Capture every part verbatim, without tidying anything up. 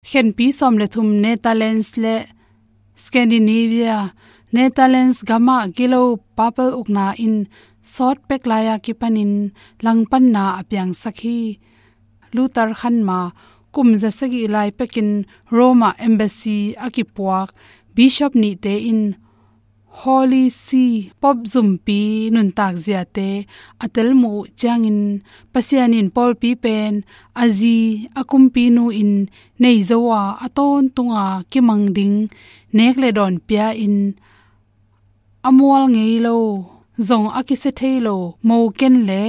Khenpi sawm le thum Netherlands le Scandinavia, Netherlands gamah gilo papal ukna in sawt pek lai-a kipanin langpanna a piangsak hi. Luther khanma kum za sagih lai pekin Rome ah embassy a kipuak bishop nihte in Holy See, Pope zumpi nuntak ziate a telmuh uh ciangin Pasian in pawlpi pen a zi a kumpinu in nei zo a, a tawntunga kimang ding nek le dawn pia in a mual ngei lo, zong a kisia thei lo, mo ken le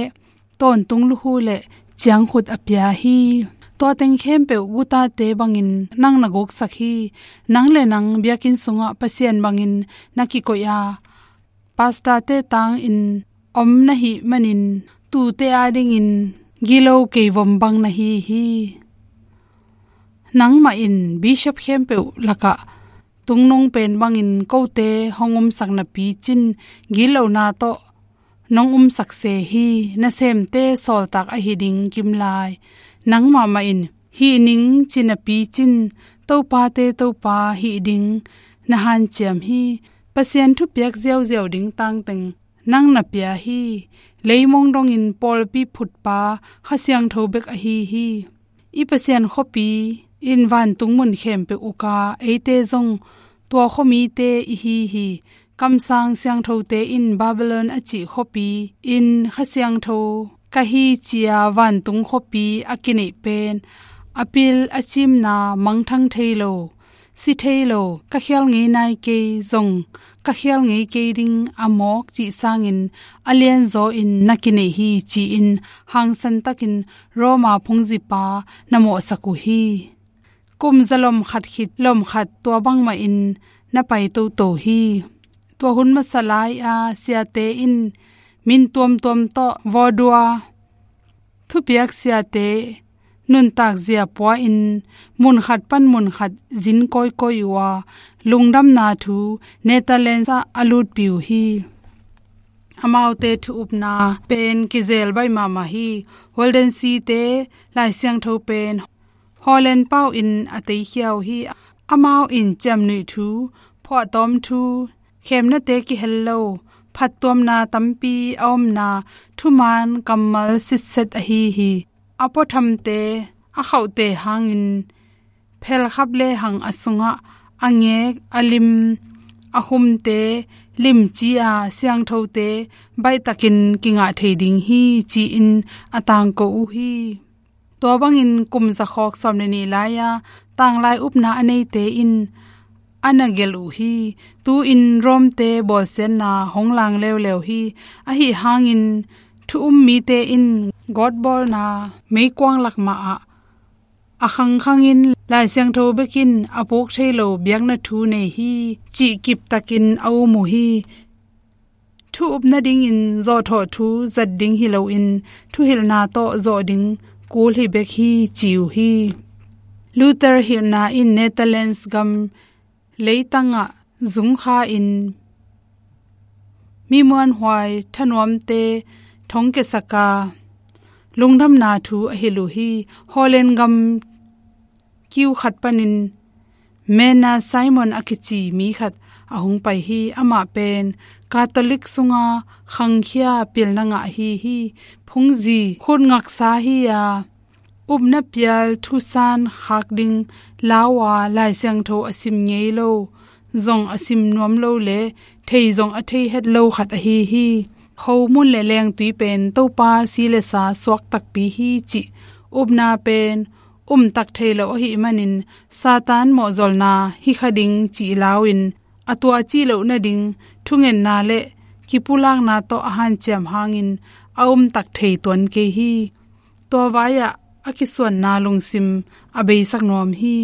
tawntung lukhu le ciangkhut a pia hi. Tua teng khempeuh gutate bangin nang na guksak hi. Nang le nang biakinn sungah Pasian bangin na kikoih a, pastorte tangin om na hih manin tuute adingin gilo keivom bang na hi hi. Nangmah in bishop khempeuh lakah tungnung pen bangin kote hong umsak napi cin gitlohna tawh nong umsak se hi. Nasemte sawltak ahi ding kimlai nangmah mah in hih ning ci napi cin Topate Topa hih ding na hanciam hi. Pasian thupiak ziauziau ding tangteng nang na pia hi. Leimong dongin pawlpi phutpa Kha Siangtho bek ahi hi. I Pasian khuapi in vantung mun khempeuh uka eite zong tua khuamite i hi hi. Kamsang siangthote in Babylon a cih khuapi in Kha Siangtho ka hi ci-a vantung khuapi a kineih pen a pil a cimna mangthang thei lo, si thei lo, ka khial ngei nai kei zong ka khial ngei kei ding a mawk cih sangin a lianzaw in na kineih hi ci-in hangsan takin Roma phungzipa na mawhsak uh hi. Kum za lom khat khit lom khat tua bangmah in na pai toto hi. Tua hun masa lai-a siate in min tuamtuam tawh vawdua thupiak siate nuntak zia pua in munkhat pan munkhat zin kawikawi uh a, lungdamna thu Netherlands ah a lutpi uh hi. Amaute thu upna pen kizel baih mahmah hi. Waldensi-te Lai Siangtho pen Holland pau in a teikhia uh hi. Amau in ciamnuih thu, phuahtawm thu, khemnate kihel lo, phattuamna tampi a omna thuman kammal sitset ahi hi. A puathamte a khauhte hangin phelkhap lehang a sungah a ngek, a lim, a humte limci-a siangthote baihtakin kingah thei ding hi ci-in a tangko uh hi. Tua bangin kum zakhawk sawm le nih lai-a tanglai upna a neite in a na gelh uh hi. Tu-in Rome-te bawlsiatna hong lang leuleu hi. Ahi hangin thu um mite in gawtbawlna meikuang lak mahah a khangkhangin Lai Siangtho bekin a puk thei lo biakna thu nei hi cih kiptakin a um uh hi. Thu up nadingin zawhthawh thu zat ding hi loin thuhilhna tawh zawh ding kul hi bek hi ci uh hi. Luther hilhna in Netherlands gam leitangah zungkha in mi muanhuai thanuamte thongkiasak a, lungdamna thu a hilh uh hi. Holland gam kiu khat panin Menna Simon a kici mi khat a hong pai hi. Amah pen Catholic sunga khangkhia pilna ngah ahi hi. Phungzi khut ngaksa hi-a, upna pial thusan khak ding lau-a Lai Siangtho a sim ngei lo, zong a sim nuam lo le thei zong a thei het lo khat ahi hi. Khomun le lengtui pen Topa si le sa suak takpi hi cih upna pen umtak thei lo ahih manin Satan mawhzolna hi kha ding cih lau-in a tua cih loh nading thungetna le kipulakna tawh a hanciam hangin a umtak thei tuan kei hi. Tua vai-ah a kisuanna lungsim a beisak nuam hi.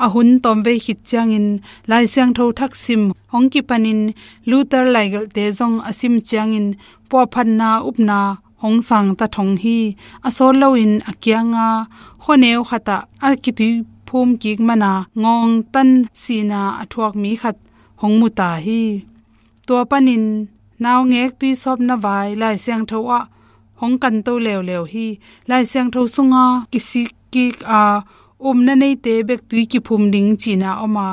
A hun tawmvei khit ciangin Lai Siangtho thak sim hong kipanin Luther laigelhte zong a sim ciangin puahphatna upna hong sangta thong hi. A sawt loin a kianga khuaneu khatah a kituiphum kik mana ngawngtan sihna a thuak mi khat hong muta hi. Tua panin naungek tuisawpna vai Lai Siangtho ah hong kanto leuleu hi. Lai Siangtho sunga kisik kik a upna neite bek tui kiphum ding cihna om a,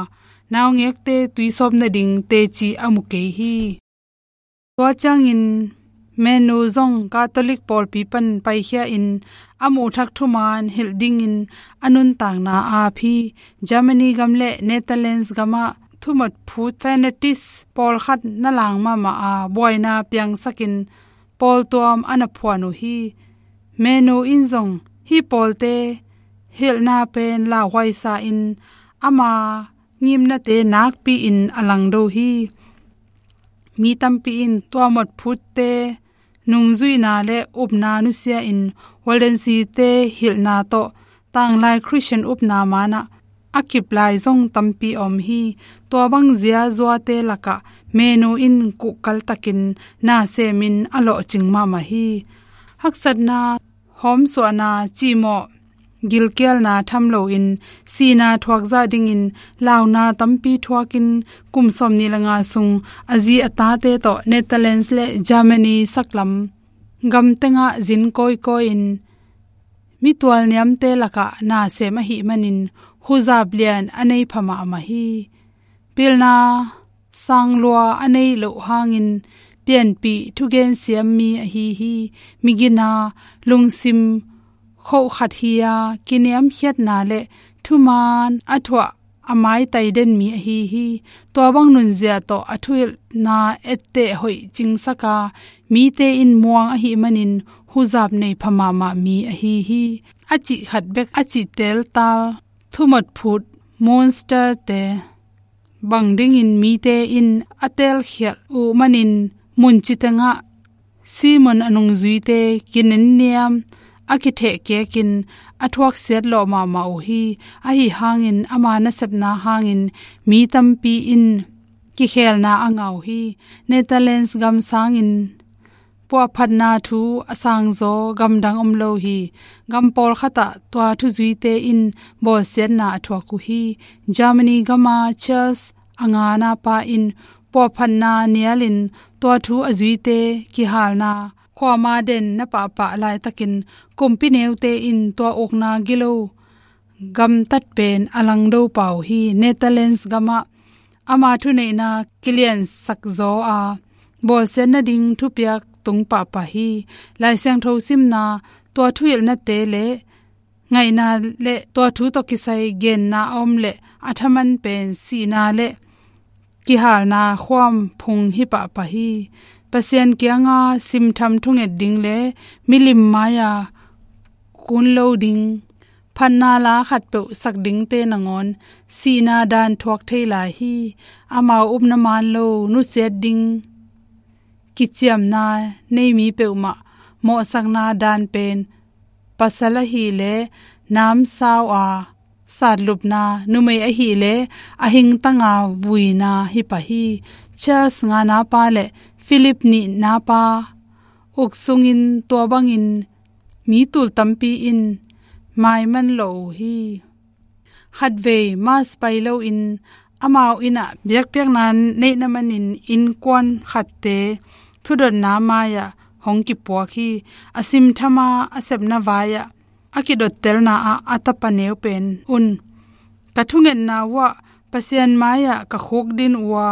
naungekte tui sawp nading teci a mu kei hi. Tua ciangin Menu zong Catholic pawlpi pan paikhia in a muhthak thuman hilh dingin a nuntakna a ap hi. Germany gam le Netherlands gamah thumawt phut fanatics pawlkhat na lang mahmah a, buaina piangsakin pawltuam a na phuan uh hi. Menu in zong hih pawlte hilhna pen lauhuaisa in ama ngimnate nakpi-in a langdo hi. Mi tampi in tua mawtphutte nungzuihna le upna nusia-in Waldensi-te hilhna tawh tanglai Khristian upna manah a kip lai zong tampi a om hi. Tua bang ziazuate lakah Menu in kuhkaltakin na semin a lawhcing mahmah hi. Haksatna, hawmsuahna, cihmawh, gilkialna tham loin sihna thuak zah dingin launa tampi thuakin kum sawmnih le nga sung a zi a tate tawh Netherlands le Germany saklam gam tengah zin kawikawi-in mitual niamte lakah na sem ahih manin huzap lian a nei pha mahmah hi. Pilna sang lua a neih loh hangin pianpih thugen siam mi ahi hi. Migina, lungsim khoh khat hi-a, kiniamkhiatna le thuman a thuah a maitai den mi ahi hi. Tua bang nunzia tawh a thuhilhna etteh hoih cingsak a, mite in muang ahih manin huzap nei pha mahmah mi ahi hi. A cih khat bek a cih teltal thumawt phut monster-te bang dingin mite in a telkhialh uh manin munci tengah Simon a nungzuite kinenniam a kithehkekin a thuaksiat lawh mahmah uh hi. Ahi hangin ama nasepna hangin mi tampi in kikhelna a ngah uh hi. Netherlands gam sangin puahphatna thu a sangzaw gamdang om lo hi. Gam pawlkhatah tua thuzuite in bawlsiatna a thuak uh hi. Germany gama Charles a ngana pa in puahphatna nialin tua thu a zuite kihalna khuama den na pahpah laitakin kumpi neute in tua ukna gilo gamtat pen a langdo pah uh hi. Netherlands gamah ama thuneihna kiliansak zaw a, bawlsiat nading thupiak tung pahpah hi. Lai Siangtho simna, tua thuhilhnate le ngaihna le tua thu tawh kisai genna a om le a thaman pen sihna le kihalna khuam phung hi pahpah hi. Pasian kianga simtham thunget ding le milim mai-a kun lo ding, phatna la khatpeuh sak dingte nangawn sihna dan thuak thei lai hi. Amau upna man lo nusiat ding kiciamna nei mi peuhmah mawhsakna dan pen pasal ahih leh namsau a satlupna, numei ahih leh a hingtanga vuina hi pah hi. Charles ngana pa le Philip nihna pa uk sungin tua bangin mi tul tampi in maiman lawh uh hi. Khatvei Mass pai loin amau innah biakpiakna neihna manin innkuan khatte thudotna mai-ah hong kipuak hi. A simthama a sepna vai-ah a kidottelna ah a tapa neu pen un, ka thungetna uhah Pasian mai-ah ka khukdin uh a,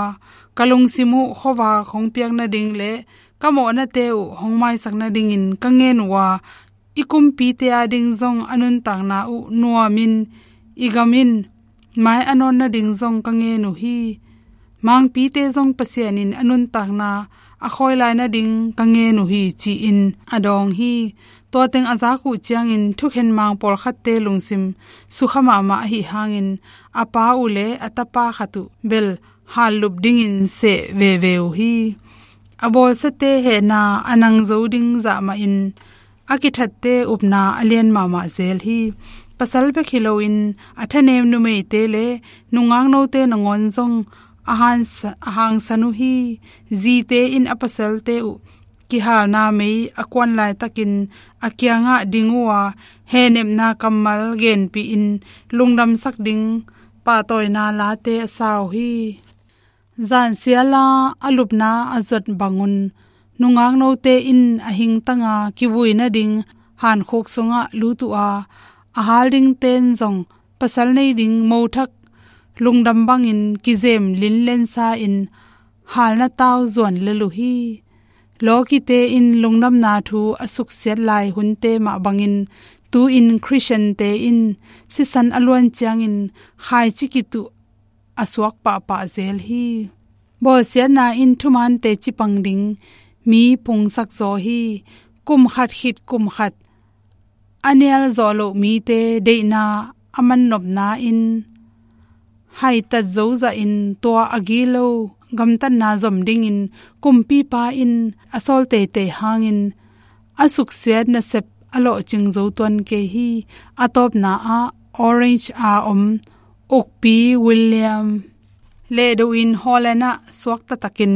ka lungsim uh khuavak hong piak nading le ka mawhnate uh hong maisak nadingin ka ngen uh a, i kumpite ading zong a nuntakna uh nuamin i gam in mai a nawn nading zong ka ngen uh hi. Mangpite zong Pasian in a nuntakna a khawi lai nading ka ngen uh hi, ci-in a dawng hi. Tua teng a zak uh ciangin thukhen mang pawlkhatte lungsim sukha mahmah ahi hangin a pa uh le a tapa khat uh bel hallup dingin seh veve uh hi. A bawlsiate hehna a nang zo ding zah mahin a kithatte upna a lian mahmah zel hi. Pasal bek hi loin a thanem numeite le nungaknote nangawn zong a hansa-, a hangsan uh hi. Zite in a pasalte uh kihalna mei a kuan laitakin a kiangah ding uh a, hehnepna kammal genpih in lungdamsak ding pahtawina late a sa uh hi. Zansiala a lupna a zuat bangun nungaknote in a hingtanga kivui nading hankhuk sungah lut uh a, a hal dingten zong pasal nei ding mothak lungdam bangin kizem linlensa in halna tau zuan lel uh hi. Lawkite in lungdamna thu a suksiat lai hunte mah bangin tu-in Khristiante in sisan a luan ciangin khaici kituh a suak pahpah zel hi. Bawlsiatna in thuman teci pang ding mi pungsak zaw hi. Kum khat khit kum khat a nial zawh loh mite deihna a mannopna in haitat zo zahin tua a gilo gamtatna zom dingin kumpipa in a sawl teitei hangin a suksiat nasep a lawhcing zo tuan kei hi. A tawpna ah Orange a om ukpi William lehdo in Holland ah suakta takin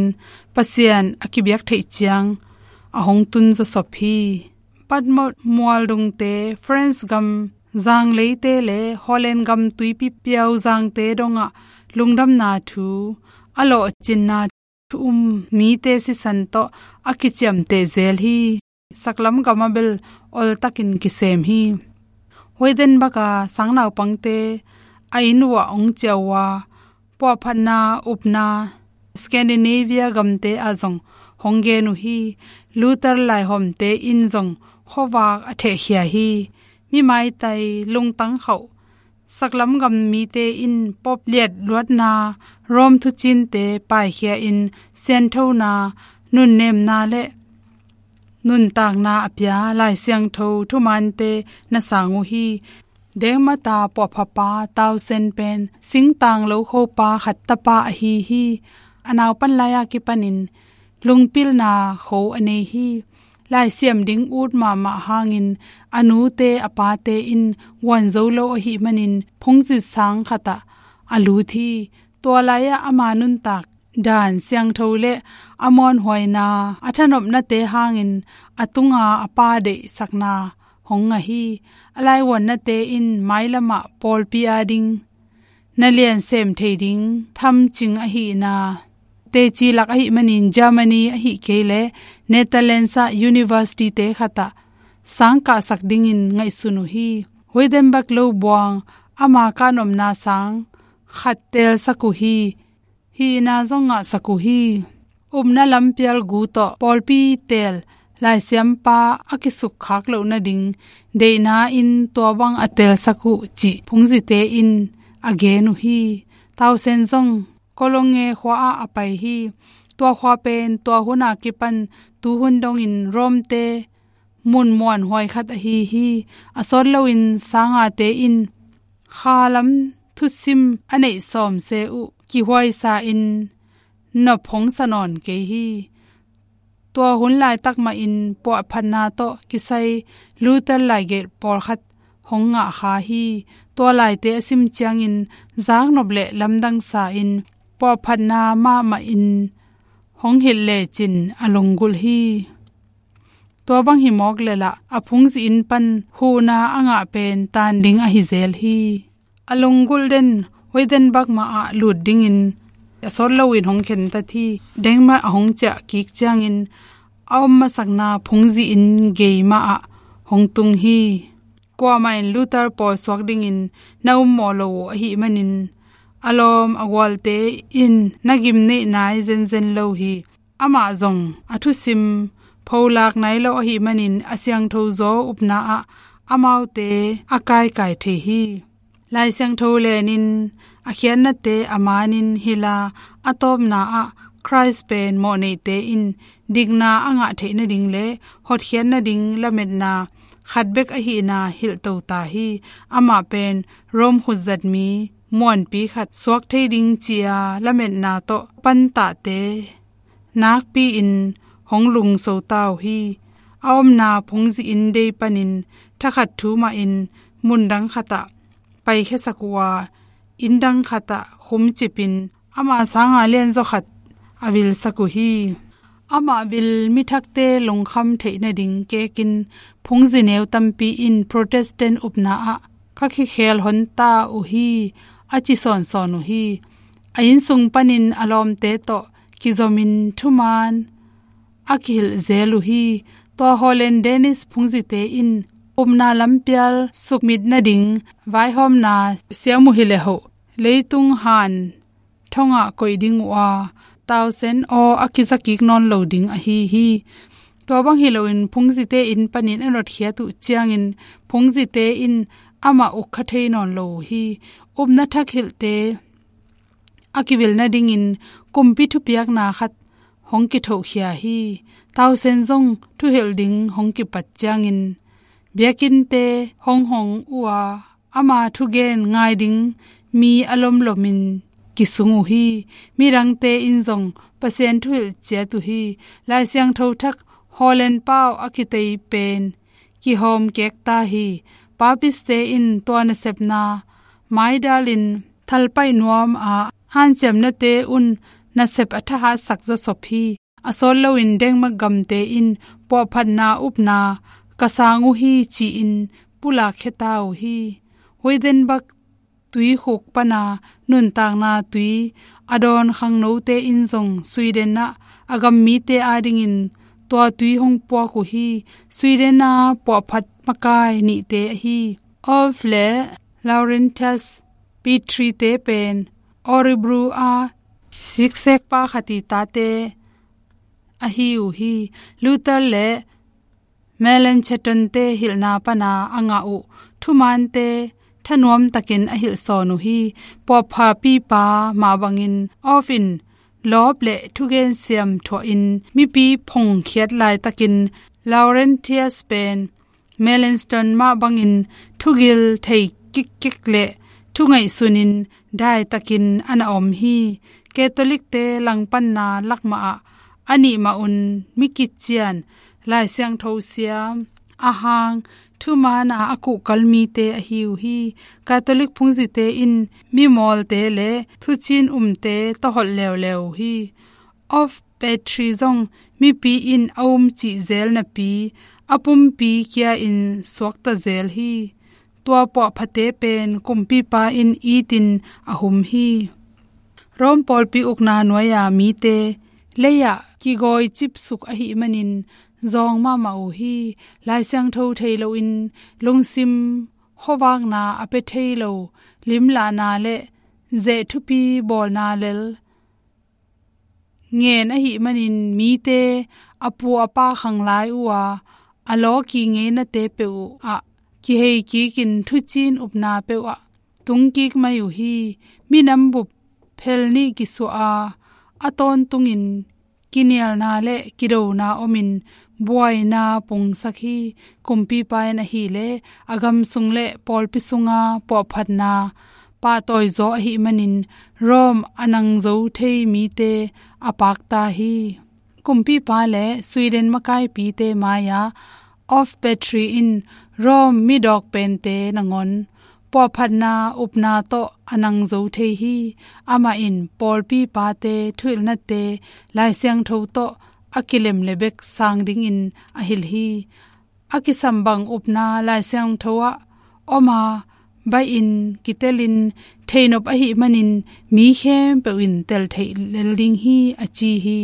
Pasian a kibiak theih ciang a hong tun zawsop hi. Patmot mualdungte, France gam zangleite le Holland gam tuipi piauzangte dongah lungdamna thu a lawhcinna thu um mite sisan tawh a kiciamteh zel hi. Saklam gam ah bel oltakin kisem hi. Wittenberg a sangnaupangte a inn uah hong ciah uh a, puahphatna upna Scandinavia gamte ah zong hong gen uh hi. Luther laihawmte in zong khuavak a thehkhia hi. Mi maitai lungtang khauh saklam gam mite in Pope liat luatna Rome thucinte paikhia in sianthona, nunnemna le nuntakna a pia Lai Siangtho thumante na sang uh hi. Dengmata puahphapa Tausen pen singtang lokhopa khat tapa ahi hi. A naupan lai-a kipanin lungpilna kho a nei hi. Laisiam ding ut mahmah hangin a nute a pate in guan zo lo ahih manin phungzi sang khatah a lut hi. Tua lai-ah ama nuntak dan siangtho le a muanhuaina a thanopnate hangin a tunga a pa deihsakna hong ngah hi. A laivuannate in mailamah pawlpi ading na lian sem thei ding thamcing ahihna teci lak ahih manin Germany ahih kei leh Netherlands ah university-te khatah sang kahsak dingin ngaihsun uh hi. Wittenberg lo buang ama kahnopna sang khat teelsak uh hi. Hihna zong ngahsak uh hi. Upna lampial gu tawh pawlpi teel laisiampa a kisukkhak loh nading deihna in tua bang a teelsak uh cih phungzite in a gen uh hi. Tausen zong Cologne khua ah a pai hi. Tua khua pen tua hun a kipan tuhun dongin Rome-te mun muanhuai khat ahi hi. A sawt loin sangate in khalam thusim a neih sawmse uh kihuaisa in nop hong sa nawn kei hi. Tua hun laitak mahin puahphatna tawh kisai Luther laigelh pawlkhat hong ngah kha hi. Tua laite a sim ciangin zaknop le lamdang sa in puahphatna mahmah in hong hilh lecin a lunggulh hi. Tua bang hi mawk leh lah a phungzi inn pan huhna a ngah pen taan ding ahi zel hi. A lunggulh den Wittenberg mah ah lut dingin a sawt loin hong khentat hi. Dengmah a hong ciah kik ciangin a om masakna phungzi inn gei mah ah hong tung hi. Kuamah in Luther pawl suak dingin na ummawh lo uh ahih manin a lawm a gualte in na gimneih nai zenzen lo hi. Amah zong a thusim pholak nai lo ahih manin a siangtho zaw upna ah amaute a kaikai thei hi. Lai Siangtho lenin a khiatnate a manin hilh a, a tawpna ah Khrist pen mawhneite in dikna a ngah theih nading le hotkhiat nading lametna khat bek ahihna hilhto ta hi. Amah pen Rome khutzatmi muanpi khat suak thei ding ci-a lametna tawh pantahte nakpi-in hong lungso ta uh hi. A omna phungzi inn dei panin thakhat thu mahin mundang khatah paikhiasak uh a, inndang khatah khumcipin ama sanga lianzaw khat a vilsak uh hi. Amah vil mithakte lungkham theih nading kekin phungzi neu tampi in Protestant upna ah ka kikhel hon ta uh hi, a ci sawnsawn uh hi. A innsung panin a lawmte tawh kizomin thuman a kihilh zel uh hi. Tua Holland Danish phungzite in upna lampial sukmit nading vaihawmna siam uh hi le hoh, leitung han thongah koih ding uh a, tausen aw a kiza kik nawn lo ding ahi hi. Tua bang hi loin phungzite inn panin a notkhiat uh ciangin phungzite in amah ukha thei nawn lo uh hi. Upna thak hilhte a kivil nadingin kumpi thupiakna khat hong kithohkhia hi. Tausen zong thuhilh ding hong kipat ciangin biakinnte hong hong uh a, ama thugen ngai ding mi a lomlomin kisung uh hi. Midangte in zong Pasian thuhilh ciat uh hi. Lai Siangtho thak Holland pau a kitei pen kihawm kekta hi. Papiste in tua nasepna maidalin thalpaih nuam a, hanciamnate un nasep a thahatsak zawsop hi. A sawt loin Denmark gamte in puahphatna upna ka sang uh hi ci-in pulakkhia ta uh hi. Wittenberg tuikhuk pana nuntakna tui a dawn khangnote in zong Sweden ah a gammite adingin tua tui hong puak uh hi. Sweden a puahphat makai nihte ahi Ulf le Laurentius Petri-te pen Örebro a siksekpa khat i tate ahi uh hi. Luther le Melanchthon-te hilhna pana a ngah uh thumaante thanuam takin a hilhsawn uh hi. Puahphapipa mah bangin Ulf in lawp le thugen siam thuahin mipi phongkhiat laitakin Laurentius pen Melanchthon mah bangin thugil thei kikkik le thungaihsunin daitakin a na om hi. Catholic-te langpanna lakmah ah a nih mah un mi kician, Lai Siangtho siam, a hang, thumaana a kuhkal mite ahi uh hi. Catholic phungzite in mimawlte le thucin umte tawholh leuleu uh hi. Ulf Petri zong mipi in a um cih zel napi a pumpi kia-in suakta zel hi. Tua puahphate pen kumpipa in itin a hum hi. Rome pawlpi ukna nuai-a mite lei-ah kigawi cipsuk ahih manin zawng mahmah uh hi. Lai Siangtho thei loin lungsim khuavakna a pia thei lo limlahna le zeh thupi bawlna lel ngen ahih manin mite a pu a pa khang lai uh a, a law kingeina te peuh uh ah kihei kikin thucin upna peuh ah tungkik mai uh hi. Minam bup phel nih kisuah a, a tawntungin kinialna le kidona omin buaina pungsak hi. Kumpipa in ahih leh a gam sung le pawlpi sunga puahphatna pahtawizaw ahih manin Rome a nang zo thei mite a pakta hi. Kumpipa le Sweden makaipite mai-ah Ulf Petri in Rome midawk pente nangawn puahphatna upna tawh a nang zo thei hi. Amah in pawlpi pate thuhilhnate Lai Siangtho tawh a kilem le bek sang dingin a hilh hi. A kisam bang upna Lai Siangtho ah om a, baih in kitelin theihnop ahih manin mi khempeuh in tel theih lel ding hi, a ci hi.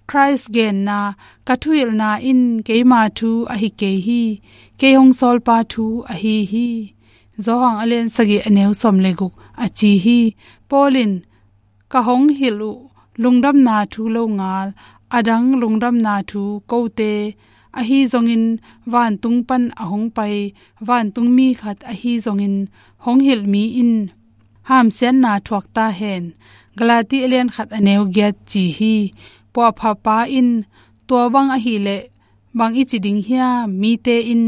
Christ genna, ka thuhilhna in keima thu ahi kei hi, kei hong sawlpa thu ahi hi. Johan a lian sagih a neu sawm le guk a ci hi. Paul in ka hong hilh uh lungdamna thu lo ngal, a dang lungdamna thu kote ahi zongin vantung pan a hong pai vantungmi khat ahi zongin hong hilh mi in hamsiatna thuak ta hen. Galati a lian khat a neu giat ci hi. Puahphapa in tua bang ahih leh bang i ci ding hiam? Mite in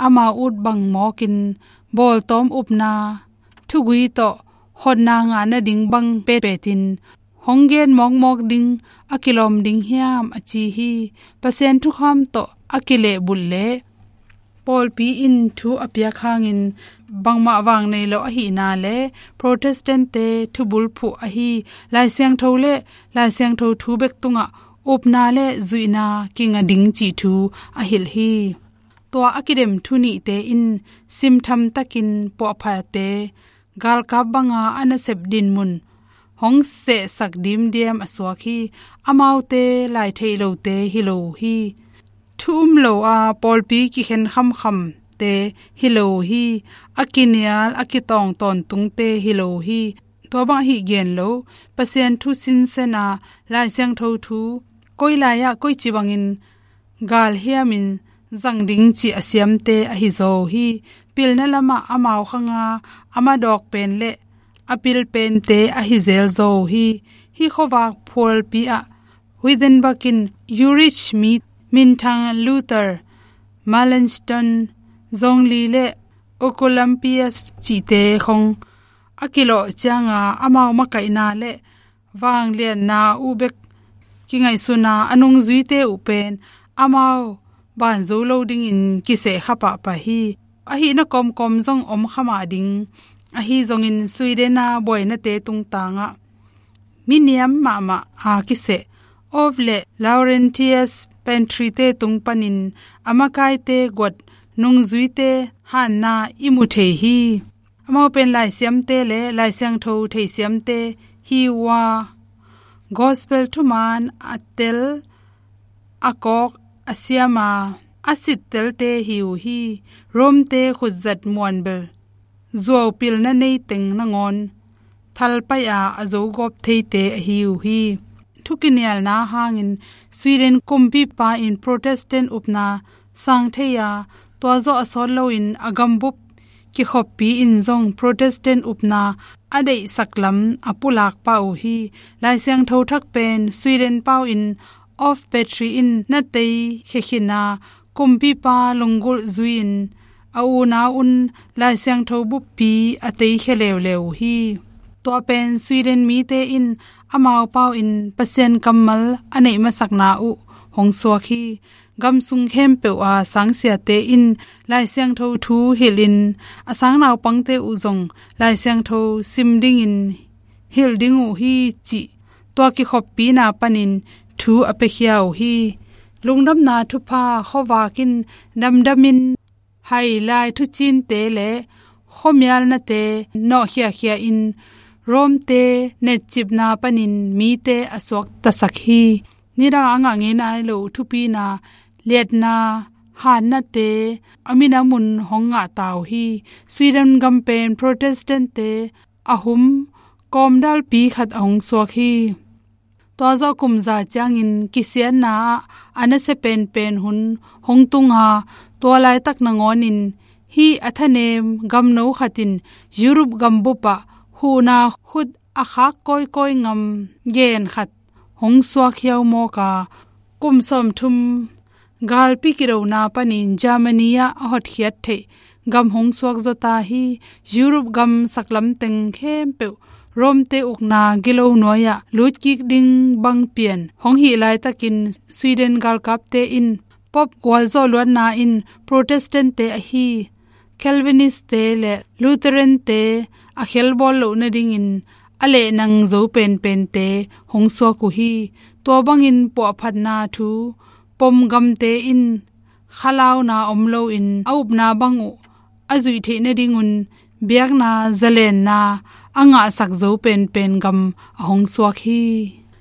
amau ut bang mawkin bawltawm upna thugui tawh hotna ngah nading bang petpetin hong gen mawkmawk ding a kilawm ding hiam, a ci hi. Pasian thukham tawh a kilehbulh leh pawlpi in thu a piak hangin bangmah vang nei lo ahihna le Protestant-te thubulphuh ahi Lai Siangtho le Lai Siangtho thu bek tungah upna le zuihna kinga ding cih thu a hilh hi. Tua a kidem thu nihte in simtham takin puahphate galkap banga a nasep dinmun hong sehsak dimdiam a suak hi. Amaute lai theih lote hi lo uh hi. Thu um lo a pawlpi kikhen khamkham te hi lo uh hi. A kinial a kitawng tawntungte hi lo uh hi. Tua bang ahi gen lo, Pasian thu sinsen a, Lai Siangtho thu koi lai-ah koici bangin gal hiamin zang ding cih a siamte ahi zaw uh hi. Pilna lamah amau khanga a madawk pen le a pil pente ahi zel zaw uh hi. Hih khuavak phualpi ah Wittenberg in Zurich mi minthang Luther, Melanchthon, Zwingli le Oecolampadius cihte khong a kilawh cianga amau makaihna le vangliatna uh bek kingaihsuna a nungzuite uh pen amau ban zo lo dingin kisehkha pahpah hi. Ahihna kawmkawm zong om kha mah ding. Ahi zongin Sweden a buainate tungtangah miniam mahmah a kiseh Orff le Laurentius Pantry te tung panin a makaite guat nungzuite hanna i mu thei hi. Amau pen laisiamte le Lai Siangtho theisiamte hi uh a, Gospel thuman a tel, a kawk, a siama a sittelte hi uh hi. Rome-te khutzat muanbel zuau pilna nei teng nangawn thalpai-a a zogawp theite ahi uh hi. Thukinialna hangin Sweden kumpipa in Protestant upna sang thei a, tua zawh a sawt loin a gambup kikhoppi in zong Protestant upna a deihsak lam a pulak pah uh hi. Lai Siangtho Thak pen Sweden pau in Orff Petri in na teikhia khin a, kumpipa lunggulh zui-in a unau un Lai Siangtho buppi a teikhia leuleu uh hi. Tua pen Sweden mite in amau pau in Pasian kammal a neih masakna uh hong suak hi. Gam sung khempeuh a sangsiate in Lai Siangtho thu hilhin a sangnaupangte uh zong Lai Siangtho sim dingin hilh ding uh hi cih tua kikhoppina panin thu a piakhia uh hi. Lungdamna thupha khuavak in damdamin hai lai thucinte le khuamialnate nawhkhiakhia in Rome-te netcipna panin mite a suaktasak hi. Nidang a ngah ngei nai lo thupina, liatna, hatnate a minam un hong ngahta uh hi. Sweden gam pen Protestant-te a hum kawmdalpi khat a hong suak hi. Tua zawh kum za ciangin kisiatna ah a nasia penpen hun hong tung a, tua laitak nangawnin hih a thanem gamno khat in Europe gambup ah huhna khut a khak kawikawi ngam gen khat hong suak hiaumawk a, kum sawmthum galpi kidona panin Germany ah a hotkhiat theih gam hong suak zawta hi. Europe gam saklam teng khempeuh Rome-te ukna gilo nuai-ah lutkik ding bang pian hong hih laitakin Sweden galkapte in Pope gualzawh luatna in Protestant-te ahi Calvinist-te le Lutheran-te a khelbawl loh nadingin a lehnang zo penpente hong suak uh hi. Tua bangin puahphatna thu pom gamte in khalauna om loin a upna bang uh a zuih theih nadingun biakna zalenna a ngahsak zo penpen gam a hong suak hi.